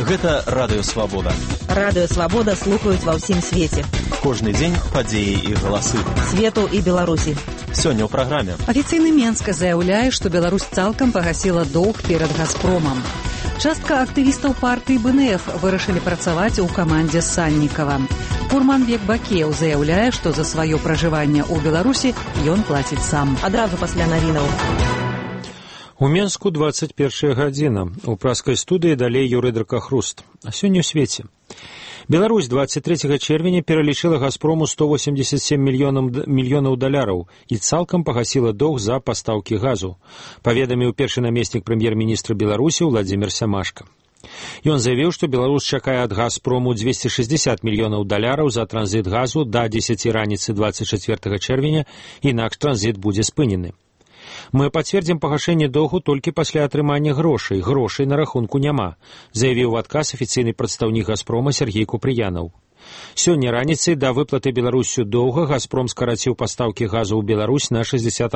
Гэта Радыё Свабода. Радыё Свабода слухаюць ва ўсім свеце. Кожны дзень падзеі і галасы. Свету і Беларусі. Сёння ў праграме. Афіцыйны Менска заяўляе, што Беларусь цалкам пагасіла доўг перад «Газпромам». Частка актывістаў партыі БНФ вырашылі працаваць у камандзе Саннікава. Курманбек Бакеў заяўляе, што за сваё пражыванне ў Беларусі ён плаціць сам. Адразу пасля навінаў. У Менску 21 гадзіна. У праскай студыі далей Юрый Дракахруст. А сёння ў свеце. Беларусь 23 чэрвеня пералічыла «Газпрому» 187 мільёнаў даляраў і цалкам пагасіла доўг за пастаўкі газу, паведаміў першы намеснік прэм'ер-міністра Беларусі Владзімір Сямашка. Ён заявіў, што Беларусь чакае ад «Газпрому» 260 мільёнаў даляраў за транзіт газу да 10 раніцы 24 чэрвеня, інакш транзіт будзе спынены. Мы пацвердзім пагашэнне доўгу толькі пасля атрымання грошай. Грошай на рахунку няма, заявіў у адказ афіцыйны прадстаўнік «Газпрома» Сергей Купрыянаў. Сёння раніцай да выплаты Беларусю доўга «Газпром» скараціў пастаўкі газу ў Беларусь на 60%.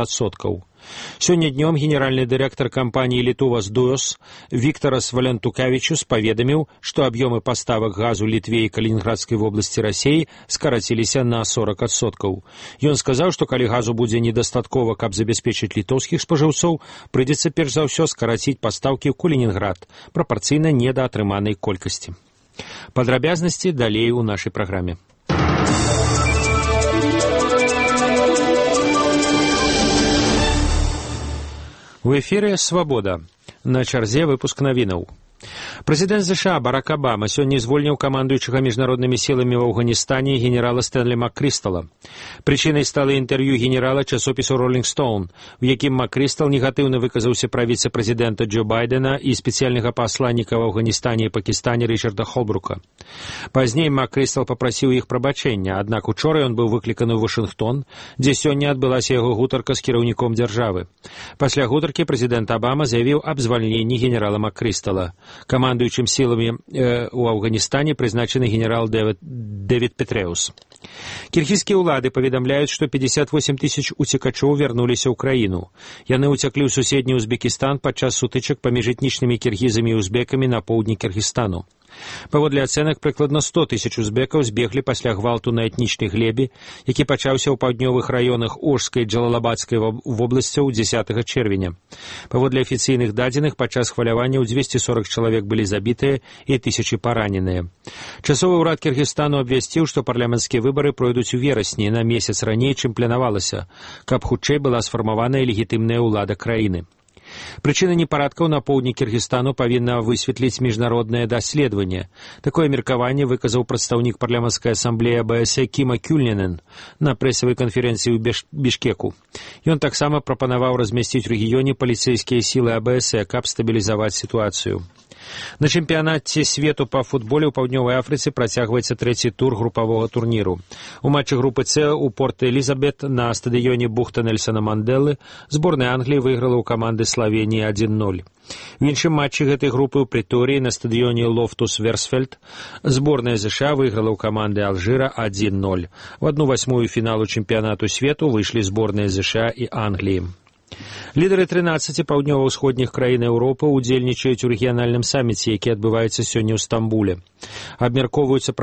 Сёння днём генеральны дырэктар кампаніі «Літувас Дуёс» Віктарас Валянтукавічус паведаміў, што аб'ёмы паставак газу Літве і Калінінградскай вобласці Расіі скараціліся на 40%. Ён сказаў, што калі газу будзе недастаткова, каб забяспечыць літоўскіх спажыўцоў, прыйдзецца перш за ўсё скараціць пастаўкі ў Калінінград прапарцыйна недаатрыманай колькасці. Падрабязнасці далей у нашай праграме. У эфіры «Свабода». На чарзе выпуск навінаў. Прэзідэнт США Барак Абама сёння звольніў камандуючага міжнароднымі сіламі ў Афганістане генерала Стэнлі Маккрыстала. Прычынай стала інтэрв'ю генерала часопісу «Роллінг Стоун», у якім Маккрыстал негатыўна выказаўся пра віцэ-прэзідэнта Джо Байдена і спецыяльнага пасланніка ў Афганістане і Пакістане Рычарда Холбрука. Пазней Маккрыстал папрасіў іх прабачэння, аднак учора ён быў выкліканы ў Вашынгтон, дзе сёння адбылася яго гутарка з кіраўніком дзяржавы. Пасля гутаркі прэзідэнт Абама заявіў аб звальненні генерала Маккрыстала. Камандуючым сіламі ў Афганістане прызначаны генерал Дэвід Петрэус. Кіргізскія ўлады паведамляюць, што 58 тысяч уцекачоў вярнуліся ў краіну. Яны ўцяклі ў суседні Узбекістан падчас сутычак паміж этнічнымі кіргізамі і узбекамі на поўдні Кіргізстану. Паводле ацэнак, прыкладна 100 тысяч узбекаў збеглі пасля гвалту на этнічнай глебе, які пачаўся ў паўднёвых раёнах Ожскай і Джалалабадскай вобласцяў 10 чэрвеня. Паводле афіцыйных дадзеных, падчас хваляванняў 240 чалавек былі забітыя і тысячы параненыя. Часовы ўрад Кіргізстану абвясціў, што парламенцкія выбары пройдуць у верасні, на месяц раней, чым планавалася, каб хутчэй была сфармаваная легітымная ўлада краіны. Прычыны непарадкаў на поўдні Кіргізстану павінна высветліць міжнароднае даследаванне. Такое меркаванне выказаў прадстаўнік парламенцкай асамблеі АБС Кіма Кюльненен на прэсавай канферэнцыі ў Бішкеку. Ён таксама прапанаваў размясціць у рэгіёне паліцэйскія сілы АБС, каб стабілізаваць сітуацыю. На чэмпіянаце свету па футболе ў Паўднёвай Афрыцы працягваецца трэці тур групавога турніру. У матчы групы С у Порт-Элізабет на стадыёне бухта Нельсона Манделы зборная Англіі выйграла ў каманды Славеніі 1-0. У іншым матчы гэтай групы ў Прыторыі на стадыёне Лофтус-Версфельд зборная ЗША выйграла ў каманды Алжыра 1-0. У 1/8 фіналу чэмпіянату свету выйшлі зборныя ЗША і Англіі. Лідары 13 паўднёва-ўсходніх краін Еўропы ўдзельнічаюць у рэгіянальным саміце, які адбываецца сёння ў Стамбуле. Абмяркоўваюцца